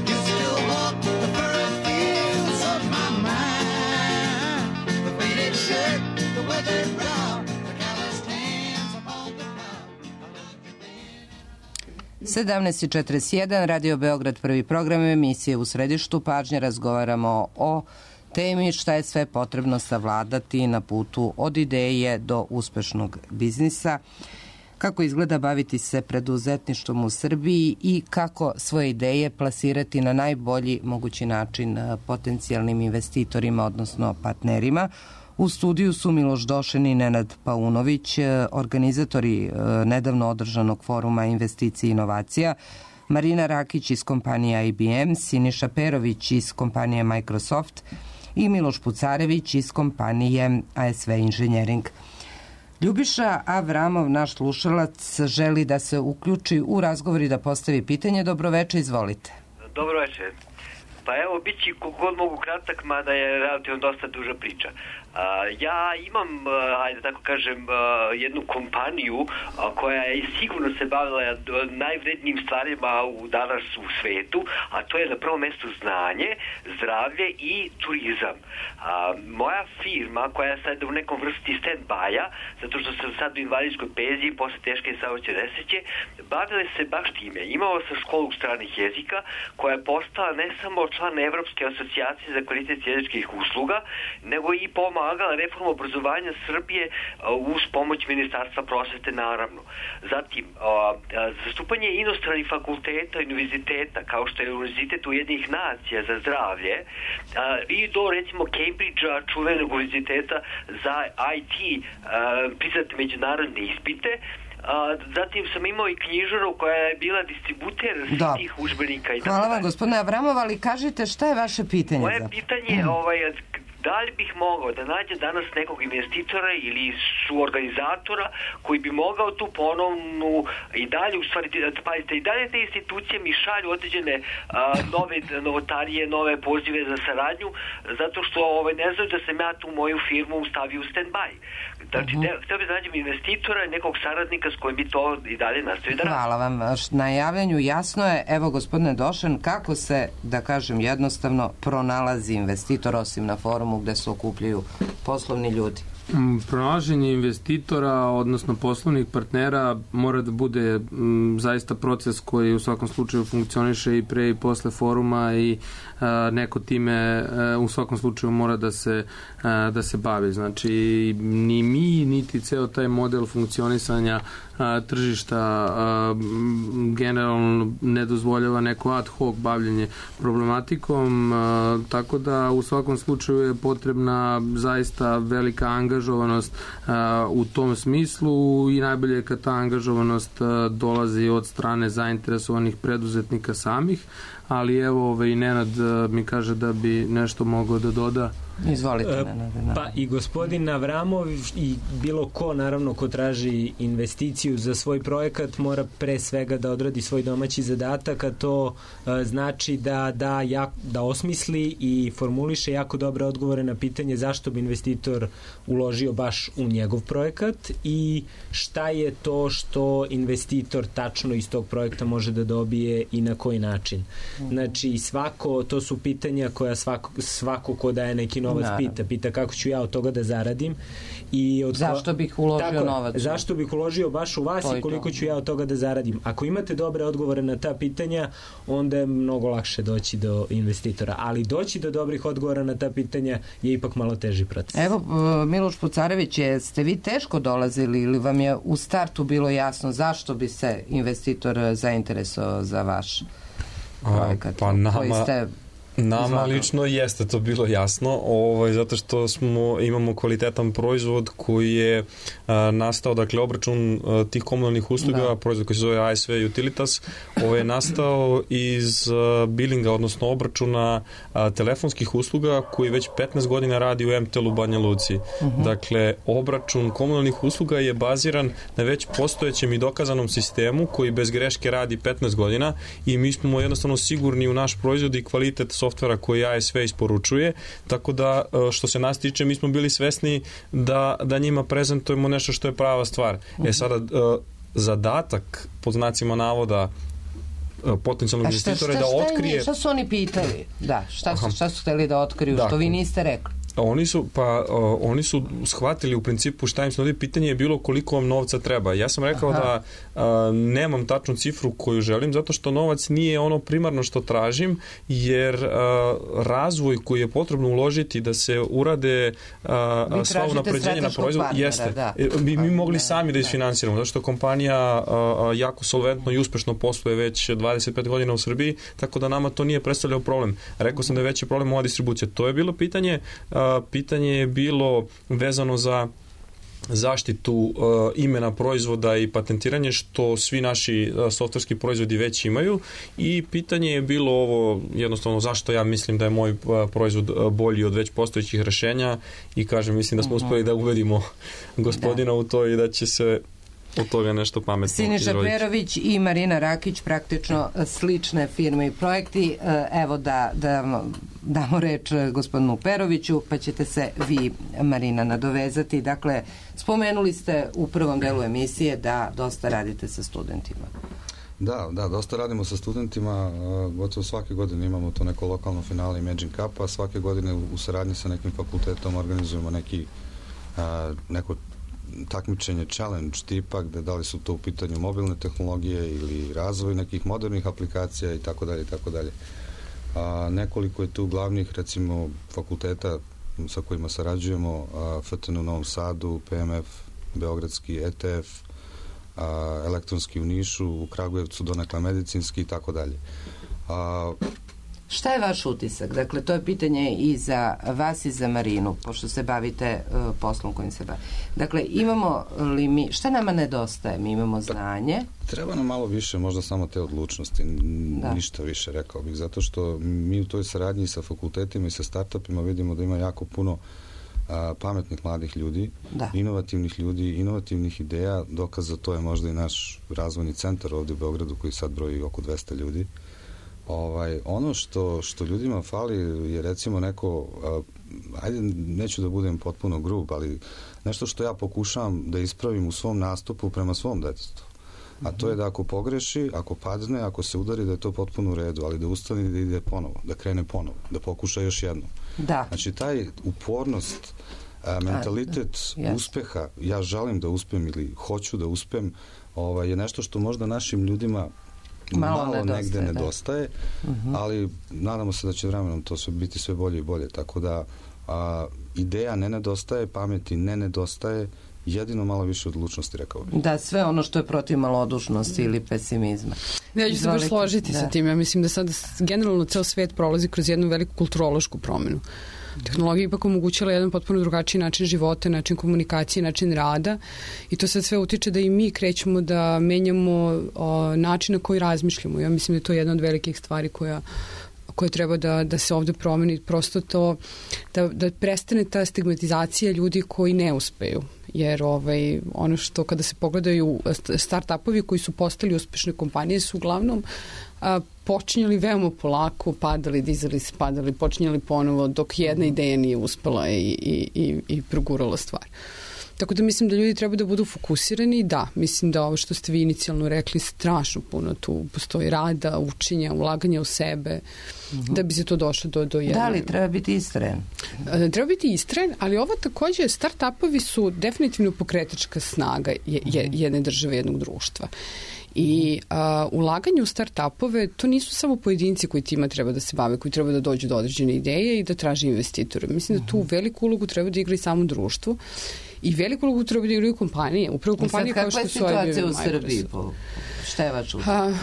you still walk the furrowed fields of my mind. The faded shirt, the weathered brow, the calloused hands upon the plow. 17:41, Radio Beograd, prvi program emisije U središtu pažnje. Razgovaramo o temi šta je sve potrebno savladati na putu od ideje do uspešnog biznisa, kako izgleda baviti se preduzetništvom u Srbiji i kako svoje ideje plasirati na najbolji mogući način potencijalnim investitorima, odnosno partnerima. U studiju su Miloš Došen i Nenad Paunović, organizatori nedavno održanog foruma investicija i inovacija, Marina Rakić iz kompanije IBM, Siniša Perović iz kompanije Microsoft i Miloš Pucarević iz kompanije ASV Engineering. Ljubiša Avramov, naš slušalac, želi da se uključi u razgovor i da postavi pitanje. Dobroveče, izvolite. Dobroveče. Pa evo, bit će kogod mogu kratak, mada je relativno dosta duža priča. Ja imam, ajde tako kažem, jednu kompaniju koja je sigurno se bavila najvrednijim stvarima u danas u svetu, a to je na prvom mjestu znanje, zdravlje i turizam. Moja firma, koja je sad u nekom vrsti stand-by-a, zato što sam sad u invalidskoj penziji posle teške saobraćajne nesreće, bavile se baš time. Imao sam školu stranih jezika, koja je postala ne samo član Evropske asocijacije za kvalitet jezičkih usluga, nego i pomagala reformu obrazovanja Srbije uz pomoć Ministarstva prosvete, naravno. Zatim, zastupanje inostranih fakulteta i univerziteta, kao što je Univerzitet Ujedinjenih nacija za zdravlje, i do, recimo, Cambridgea, čuvenog univerziteta za IT, priznate međunarodne ispite. Zatim sam imao i knjižaru koja je bila distributer tih udžbenika. Hvala vam, gospodine Avramov, ali kažite šta je vaše pitanje? Moje pitanje je da li bih mogao da nađem danas nekog investitora ili suorganizatora koji bi mogao tu ponovnu i dalje, u stvari, pazite, i dalje te institucije mi šalju određene nove novotarije, nove pozive za saradnju, zato što ne znam da sam ja tu moju firmu stavio u stand-by. Znači, htio bi da nađem investitora i nekog saradnika s kojim bi to i dalje nastavio da radi. Hvala vam. Na javljanju jasno je, evo, gospodine Došen, kako se, da kažem jednostavno, pronalazi investitor osim na forumu gde se okupljaju poslovni ljudi? Pronalaženje investitora, odnosno poslovnih partnera, mora da bude zaista proces koji u svakom slučaju funkcioniše i pre i posle foruma i neko time u svakom slučaju mora da se bavi. Znači, ni mi, niti ceo taj model funkcionisanja tržišta generalno ne dozvoljava neko ad hoc bavljenje problematikom, tako da u svakom slučaju je potrebna zaista velika angažovanost u tom smislu i najbolje je kad ta angažovanost dolazi od strane zainteresovanih preduzetnika samih, ali evo i Nenad mi kaže da bi nešto mogao da doda. Izvolite, Nenad. Pa i gospodin Avramov i bilo ko, naravno, ko traži investiciju za svoj projekat mora pre svega da odradi svoj domaći zadatak, a to znači da osmisli i formuliše jako dobre odgovore na pitanje zašto bi investitor uložio baš u njegov projekat i šta je to što investitor tačno iz tog projekta može da dobije i na koji način. Znači, to su pitanja koja svako ko daje neki novac pita kako ću ja od toga da zaradim. Zašto bih uložio novac? Zašto bih uložio baš u vas i koliko ću ja od toga da zaradim? Ako imate dobre odgovore na ta pitanja, onda je mnogo lakše doći do investitora. Ali doći do dobrih odgovora na ta pitanja je ipak malo teži proces. Evo, Miloš Pucarević, jeste vi teško dolazili ili vam je u startu bilo jasno zašto bi se investitor zainteresovao za vaš projekat? Pa nama lično jeste to bilo jasno, zato što imamo kvalitetan proizvod koji je nastao, dakle obračun tih komunalnih usluga, proizvod koji se zove ASV Utilitas, je nastao iz bilinga, odnosno obračuna telefonskih usluga koji već 15 godina radi u MTL-u Banja Luci. Dakle, obračun komunalnih usluga je baziran na već postojećem i dokazanom sistemu koji bez greške radi 15 godina i mi smo jednostavno sigurni u naš proizvod i kvalitet softvera koji ASV isporučuje, tako da što se nas tiče mi smo bili svesni da njima prezentujemo nešto što je prava stvar. Sada zadatak pod znacima navoda potencijalnog investitora je da otkrije... Šta su oni pitali? Šta su hteli da otkriju, što vi niste rekli? Oni su shvatili u principu šta im se nudi. Pitanje je bilo koliko vam novca treba. Ja sam rekao da nemam tačnu cifru koju želim, zato što novac nije ono primarno što tražim, jer razvoj koji je potrebno uložiti da se urade sva unapređenja na proizvod, jeste. Mi mogli sami da isfinansiramo, zato što kompanija jako solventno i uspešno posluje već 25 godina u Srbiji, tako da nama to nije predstavljao problem. Rekao sam da je veći problem ova distribucija. To je bilo pitanje. Pitanje je bilo vezano za zaštitu imena proizvoda i patentiranje, što svi naši softverski proizvodi već imaju, i pitanje je bilo ovo jednostavno zašto ja mislim da je moj proizvod bolji od već postojećih rešenja, i kažem, mislim da smo uspeli da ubedimo gospodina u to i da će se od toga nešto pametno izroditi. Siniša Perović i Marina Rakić, praktično slične firme i projekti. Evo da damo reč gospodinu Peroviću, pa ćete se vi, Marina, nadovezati. Dakle, spomenuli ste u prvom delu emisije da dosta radite sa studentima. Da, dosta radimo sa studentima, gotovo svake godine imamo to neko lokalno finale Imagine Cup-a, svake godine u saradnji sa nekim fakultetom organizujemo neko takmičenje, challenge tipa, gde da li su to u pitanju mobilne tehnologije ili razvoj nekih modernih aplikacija i tako dalje i tako dalje. Nekoliko je tu glavnih, recimo, fakulteta sa kojima sarađujemo, FTN u Novom Sadu, PMF, Beogradski, ETF, elektronski u Nišu, u Kragujevcu donekle medicinski i tako dalje. Šta je vaš utisak? Dakle, to je pitanje i za vas i za Marinu, pošto se bavite poslom kojim se bavite. Dakle, imamo li mi, šta nama nedostaje? Mi imamo znanje. Treba nam malo više, možda samo te odlučnosti, ništa više, rekao bih, zato što mi u toj saradnji sa fakultetima i sa startupima vidimo da ima jako puno pametnih mladih ljudi, inovativnih ljudi, inovativnih ideja. Dokaz za to je možda i naš razvojni centar ovde u Beogradu, koji sad broji oko 200 ljudi. Ono što ljudima fali je, recimo, neko, ajde, neću da budem potpuno grub, ali nešto što ja pokušavam da ispravim u svom nastupu prema svom detetu. A to je da ako pogreši, ako padne, ako se udari, da je to potpuno u redu, ali da ustane i da ide ponovo, da krene ponovo, da pokuša još jednom. Znači, taj upornost, mentalitet uspeha, ja želim da uspem ili hoću da uspem, je nešto što možda našim ljudima malo negde nedostaje, ali nadamo se da će vremenom to biti sve bolje i bolje, tako da ideja ne nedostaje, pameti ne nedostaje, jedino malo više odlučnosti, rekao bih. Da, sve ono što je protiv malodušnosti ili pesimizma. Ja ću se baš složiti sa tim. Ja mislim da sada generalno ceo svet prolazi kroz jednu veliku kulturološku promenu. Tehnologija ipak omogućila jedan potpuno drugačiji način života, način komunikacije, način rada, i to sad sve utiče da i mi krećemo da menjamo način na koji razmišljamo. Ja mislim da je to jedna od velikih stvari koja treba da se ovde promeni, prosto to da prestane ta stigmatizacija ljudi koji ne uspeju. Jer ono što kada se pogledaju start-upovi koji su postali uspešne kompanije su uglavnom počinjali veoma polako, padali, dizali se, padali, počinjali ponovo, dok jedna ideja nije uspela i progurala stvar. Tako da mislim da ljudi treba da budu fokusirani. Da, mislim da ovo što ste vi inicijalno rekli, strašno puno tu postoji rada, učenja, ulaganja u sebe, da bi se to došlo do jedne. Da li treba biti iskren? Treba biti iskren, ali ovo takođe, start-upovi su definitivno pokretačka snaga jedne države, jednog društva. I ulaganje u start-upove, to nisu samo pojedinci koji tima treba da se bave, koji treba da dođu do određene ideje i da traže investitore. Mislim da tu veliku ulogu treba da igra i samo društvo i veliku ulogu treba da igraju kompanije. Upravo kompanije kao što su IBM. Kakva je situacija u Srbiji? Šta je vaš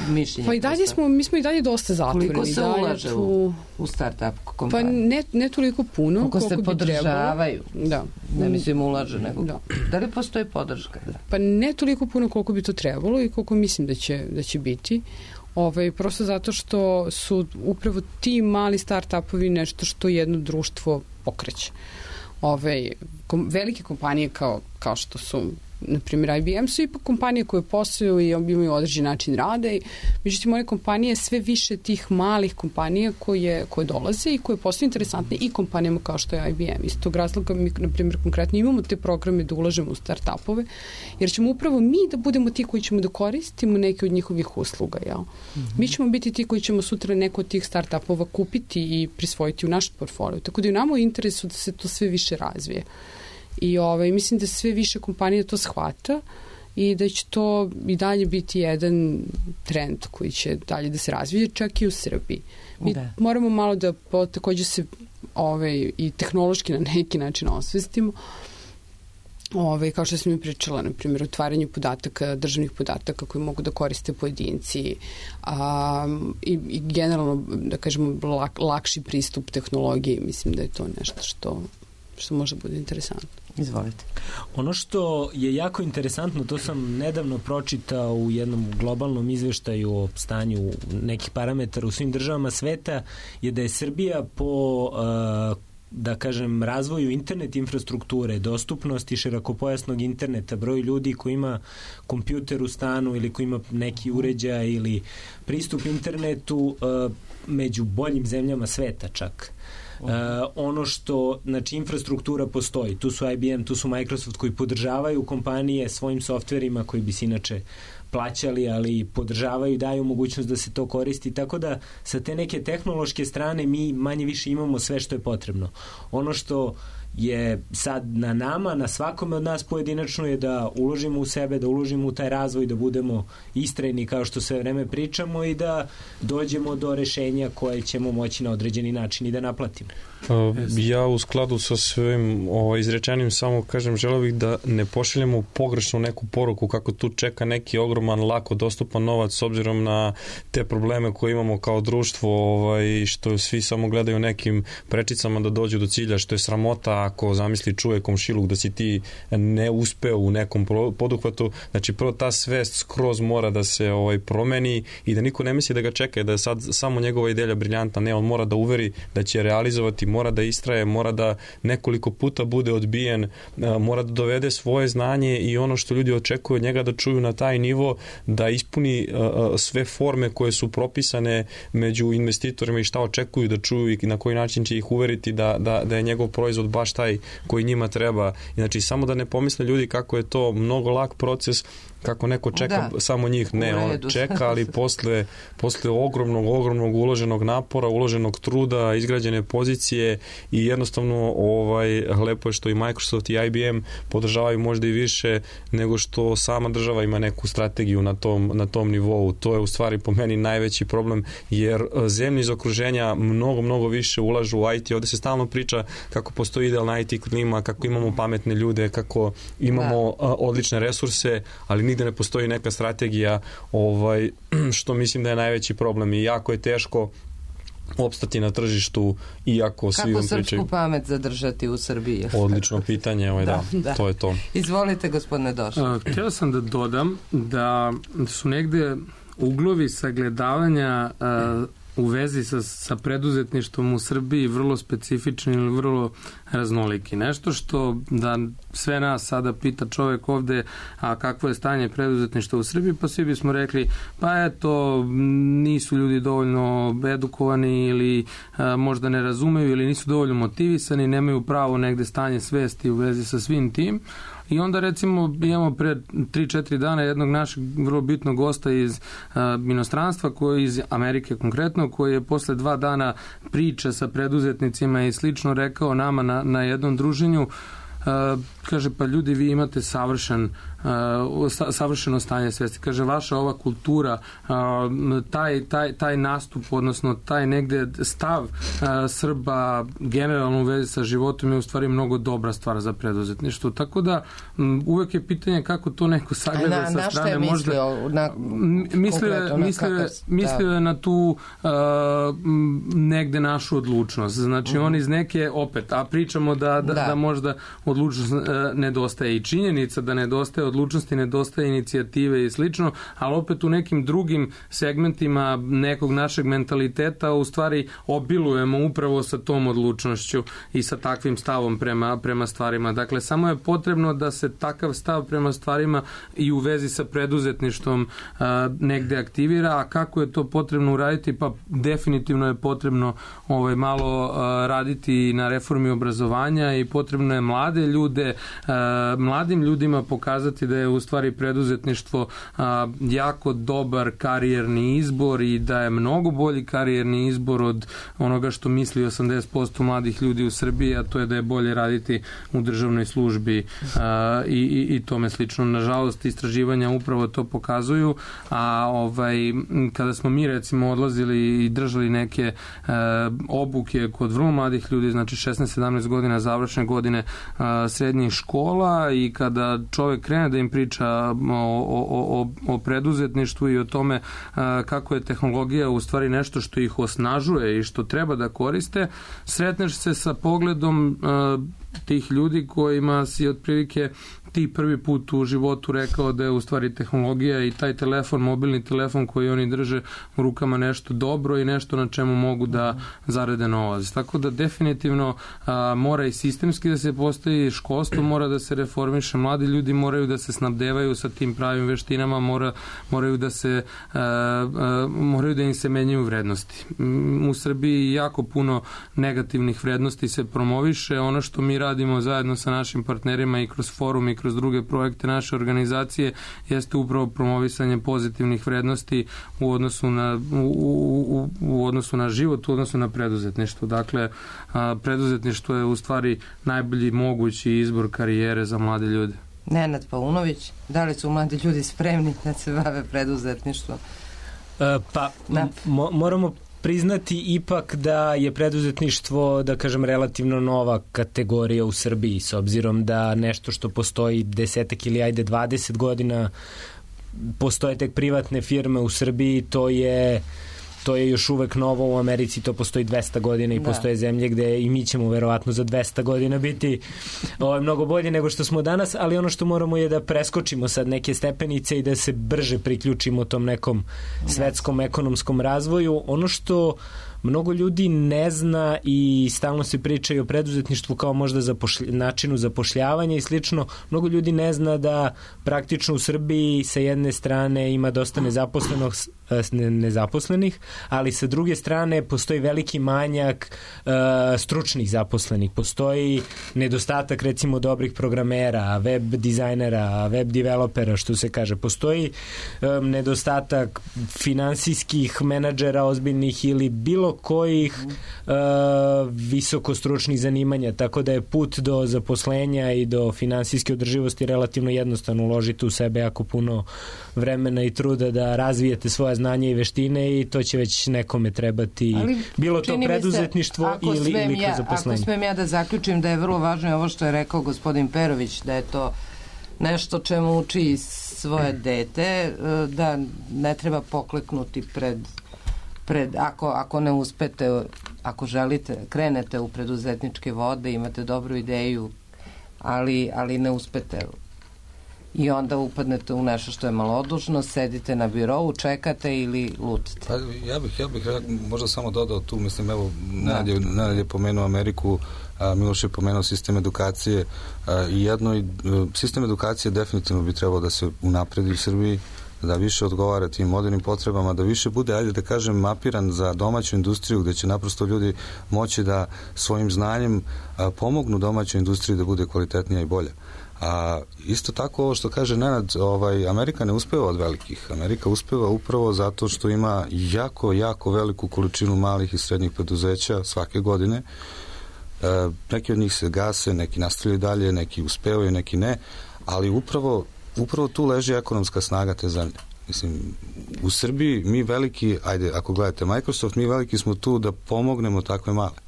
mišljenje? Pa i dalje mi smo i dalje dosta zatvoreni. Koliko se ulaže u start-up kompanije? Pa ne toliko puno koliko se podržavaju. Da. Ne mislim ulaže, nego da li postoji podrška? Pa ne toliko puno koliko bi to trebalo i koliko mislim da će biti. Prosto zato što su upravo ti mali start-upovi nešto što jedno društvo pokreće. Velike kompanije kao što su na primjer IBM su ipak kompanije koje posluju i imaju određen način rada i međutim one kompanije sve više tih malih kompanija koje dolaze i koje postaju interesantne i kompanijama kao što je IBM. Iz tog razloga mi na primjer konkretno imamo te programe da ulažemo u start-upove jer ćemo upravo mi da budemo ti koji ćemo da koristimo neke od njihovih usluga. Mi ćemo biti ti koji ćemo sutra neko od tih start-upova kupiti i prisvojiti u naš portfolio. Tako da je nama u interesu da se to sve više razvije. I mislim da sve više kompanija to shvata i da će to i dalje biti jedan trend koji će dalje da se razvije, čak i u Srbiji. Mi moramo malo da takođe se i tehnološki na neki način osvestimo. Kao što sam mi pričala, na primjer, otvaranje podataka, državnih podataka koji mogu da koriste pojedinci i generalno, da kažemo, lakši pristup tehnologiji. Mislim da je to nešto što može bude interesantno. Izvolite. Ono što je jako interesantno, to sam nedavno pročitao u jednom globalnom izveštaju o stanju nekih parametara u svim državama sveta, je da je Srbija po da kažem, razvoju internet infrastrukture, dostupnosti širokopojasnog interneta, broj ljudi koji ima kompjuter u stanu ili koji ima neki uređaj ili pristup internetu među boljim zemljama sveta čak. Ono što, znači, infrastruktura postoji. Tu su IBM, tu su Microsoft koji podržavaju kompanije svojim softverima koji bi se inače plaćali, ali podržavaju i daju mogućnost da se to koristi, tako da sa te neke tehnološke strane mi manje više imamo sve što je potrebno. Ono što je sad na nama, na svakome od nas pojedinačno je da uložimo u sebe, da uložimo u taj razvoj, da budemo istrajni kao što sve vreme pričamo i da dođemo do rešenja koje ćemo moći na određeni način i da naplatimo. Ja u skladu sa svojim izrečenim samo kažem, želeo bih da ne pošaljemo pogrešnu neku poruku kako tu čeka neki ogroman, lako dostupan novac s obzirom na te probleme koje imamo kao društvo i što svi samo gledaju nekim prečicama da dođu do cilja, što je sramota ako zamisli čuje komšiluk da si ti ne uspeo u nekom poduhvatu. Znači prvo ta svest skroz mora da se promeni i da niko ne misli da ga čeka, da je sad samo njegova ideja briljantna. Ne, on mora da uveri da će realizovati, mora da istraje, mora da nekoliko puta bude odbijen, mora da dovede svoje znanje i ono što ljudi očekuju od njega da čuju na taj nivo, da ispuni sve forme koje su propisane među investitorima i šta očekuju da čuju i na koji način će ih uveriti da je njegov proizvod baš taj koji njima treba. Znači, samo da ne pomisle ljudi kako je to mnogo lak proces, kako neko čeka samo njih. Ne, on čeka, ali posle ogromnog uloženog napora, uloženog truda, izgrađene pozicije i jednostavno lepo je što i Microsoft i IBM podržavaju možda i više nego što sama država ima neku strategiju na tom nivou. To je u stvari po meni najveći problem, jer zemlje iz okruženja mnogo više ulažu u IT. Ovde se stalno priča kako postoji idealna IT klima, kako imamo pametne ljude, kako imamo odlične resurse, ali nigde ne postoji neka strategija, što mislim da je najveći problem i jako je teško opstati na tržištu, iako svi vam pričaju. Kako srpsku pamet zadržati u Srbiji? Odlično pitanje, to je to. Izvolite, gospodine Došo. Htio sam da dodam da su negde uglovi sagledavanja u vezi sa preduzetništvom u Srbiji vrlo specifični ili vrlo raznoliki. Nešto što da sve nas sada pita čovjek ovde, a kakvo je stanje preduzetništva u Srbiji, pa svi bismo rekli, pa eto, nisu ljudi dovoljno edukovani ili možda ne razumeju ili nisu dovoljno motivisani, nemaju pravo negde stanje svesti u vezi sa svim tim, I onda recimo imamo pre 3-4 dana jednog našeg vrlo bitnog gosta iz inostranstva, koji iz Amerike konkretno, koji je posle 2 dana priča sa preduzetnicima i slično rekao nama na jednom druženju, kaže, pa ljudi, vi imate savršeno stanje svesti. Kaže, vaša ova kultura, taj nastup, odnosno taj negde stav Srba generalno u vezi sa životom je u stvari mnogo dobra stvar za preduzetništvo. Tako da uvek je pitanje kako to neko sagleda sa strane. Na šta je mislio je na tu negde našu odlučnost. Znači, on iz neke, opet, a pričamo da možda odlučnost nedostaje i činjenica da nedostaje odlučnosti, nedostaje inicijative i slično, ali opet u nekim drugim segmentima nekog našeg mentaliteta u stvari obilujemo upravo sa tom odlučnošću i sa takvim stavom prema stvarima. Dakle, samo je potrebno da se takav stav prema stvarima i u vezi sa preduzetništvom negde aktivira, a kako je to potrebno uraditi? Pa definitivno je potrebno malo raditi na reformi obrazovanja i potrebno je mladim ljudima pokazati da je u stvari preduzetništvo jako dobar karijerni izbor i da je mnogo bolji karijerni izbor od onoga što misli 80% mladih ljudi u Srbiji, a to je da je bolje raditi u državnoj službi i tome slično. Nažalost, istraživanja upravo to pokazuju, a kada smo mi recimo odlazili i držali neke obuke kod vrlo mladih ljudi, znači 16-17 godina, završne godine srednjih škola, i kada čovek krene da im priča o preduzetništvu i o tome kako je tehnologija u stvari nešto što ih osnažuje i što treba da koriste, sretneš se sa pogledom tih ljudi kojima si otprilike ti prvi put u životu rekao da je u stvari tehnologija i taj telefon, mobilni telefon koji oni drže u rukama nešto dobro i nešto na čemu mogu da zarade novac. Tako da definitivno mora i sistemski da se postavi, školstvo mora da se reformiše, mladi ljudi moraju da se snabdevaju sa tim pravim veštinama, moraju da im se menjaju vrednosti. U Srbiji jako puno negativnih vrednosti se promoviše. Ono što mi radimo zajedno sa našim partnerima i kroz forum i kroz druge projekte naše organizacije jeste upravo promovisanje pozitivnih vrednosti u odnosu na život, u odnosu na preduzetništvo. Dakle, preduzetništvo je u stvari najbolji mogući izbor karijere za mlade ljude. Nenad Paunović, da li su mladi ljudi spremni da se bave preduzetništvom? Moramo priznati ipak da je preduzetništvo, da kažem, relativno nova kategorija u Srbiji, s obzirom da nešto što postoji 10 ili 20 godina, postoje tek privatne firme u Srbiji, to je još uvek novo. U Americi to postoji 200 godina i postoje zemlje gde i mi ćemo verovatno za 200 godina biti mnogo bolje nego što smo danas, ali ono što moramo je da preskočimo sad neke stepenice i da se brže priključimo tom nekom svetskom ekonomskom razvoju. Ono što mnogo ljudi ne zna i stalno se priča i o preduzetništvu kao možda načinu zapošljavanja i slično. Mnogo ljudi ne zna da praktično u Srbiji sa jedne strane ima dosta nezaposlenih, ali sa druge strane postoji veliki manjak stručnih zaposlenih. Postoji nedostatak recimo dobrih programera, web dizajnera, web developera, što se kaže. Postoji nedostatak finansijskih menadžera ozbiljnih ili bilo kojih visokostručnih zanimanja, tako da je put do zaposlenja i do finansijske održivosti relativno jednostavno. Uložiti u sebe jako puno vremena i truda da razvijete svoje znanje i veštine i to će već nekome trebati, bilo to preduzetništvo ili kroz zaposlenje. Ako smem ja da zaključim da je vrlo važno ovo što je rekao gospodin Perović, da je to nešto čemu uči svoje dete, da ne treba pokleknuti ako ne uspete, ako želite, krenete u preduzetničke vode, imate dobru ideju, ali ne uspete i onda upadnete u nešto što je malodužno, sedite na birovu, čekate ili lutite. Pa, ja bih možda samo dodao tu, mislim, evo, Nenad je pomenuo Ameriku, Miloš je pomenuo sistem edukacije i sistem edukacije definitivno bi trebalo da se unapredi u Srbiji, da više odgovara tim modernim potrebama, da više bude, ajde da kažem, mapiran za domaću industriju, gde će naprosto ljudi moći da svojim znanjem pomognu domaćoj industriji da bude kvalitetnija i bolja. A isto tako ovo što kaže Nenad, Amerika ne uspeva od velikih. Amerika uspeva upravo zato što ima jako veliku količinu malih i srednjih preduzeća svake godine. Neki od njih se gase, neki nastavljaju dalje, neki uspevaju, neki ne, ali upravo tu leži ekonomska snaga te zemlje. Mislim, u Srbiji mi veliki, ako gledate Microsoft, mi veliki smo tu da pomognemo takve male.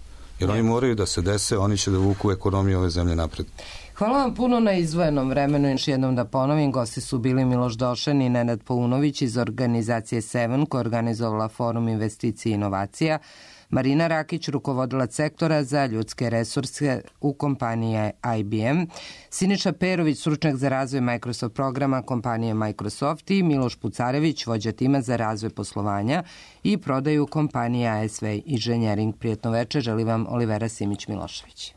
Jer oni moraju da se dese, oni će da vuku ekonomiju ove zemlje napred. Hvala vam puno na izdvojenom vremenu. Još jednom da ponovim, gosti su bili Miloš Došan i Nenad Paunović iz organizacije Seven, koja je organizovala Forum investicije i inovacija, Marina Rakić, rukovodilac sektora za ljudske resurse u kompaniji IBM, Siniša Perović, stručnjak za razvoj Microsoft programa kompanije Microsoft i Miloš Pucarević, vođa tima za razvoj poslovanja i prodaju kompanije ASV Engineering. Prijetno večer, želi vam Olivera Simić-Milošević.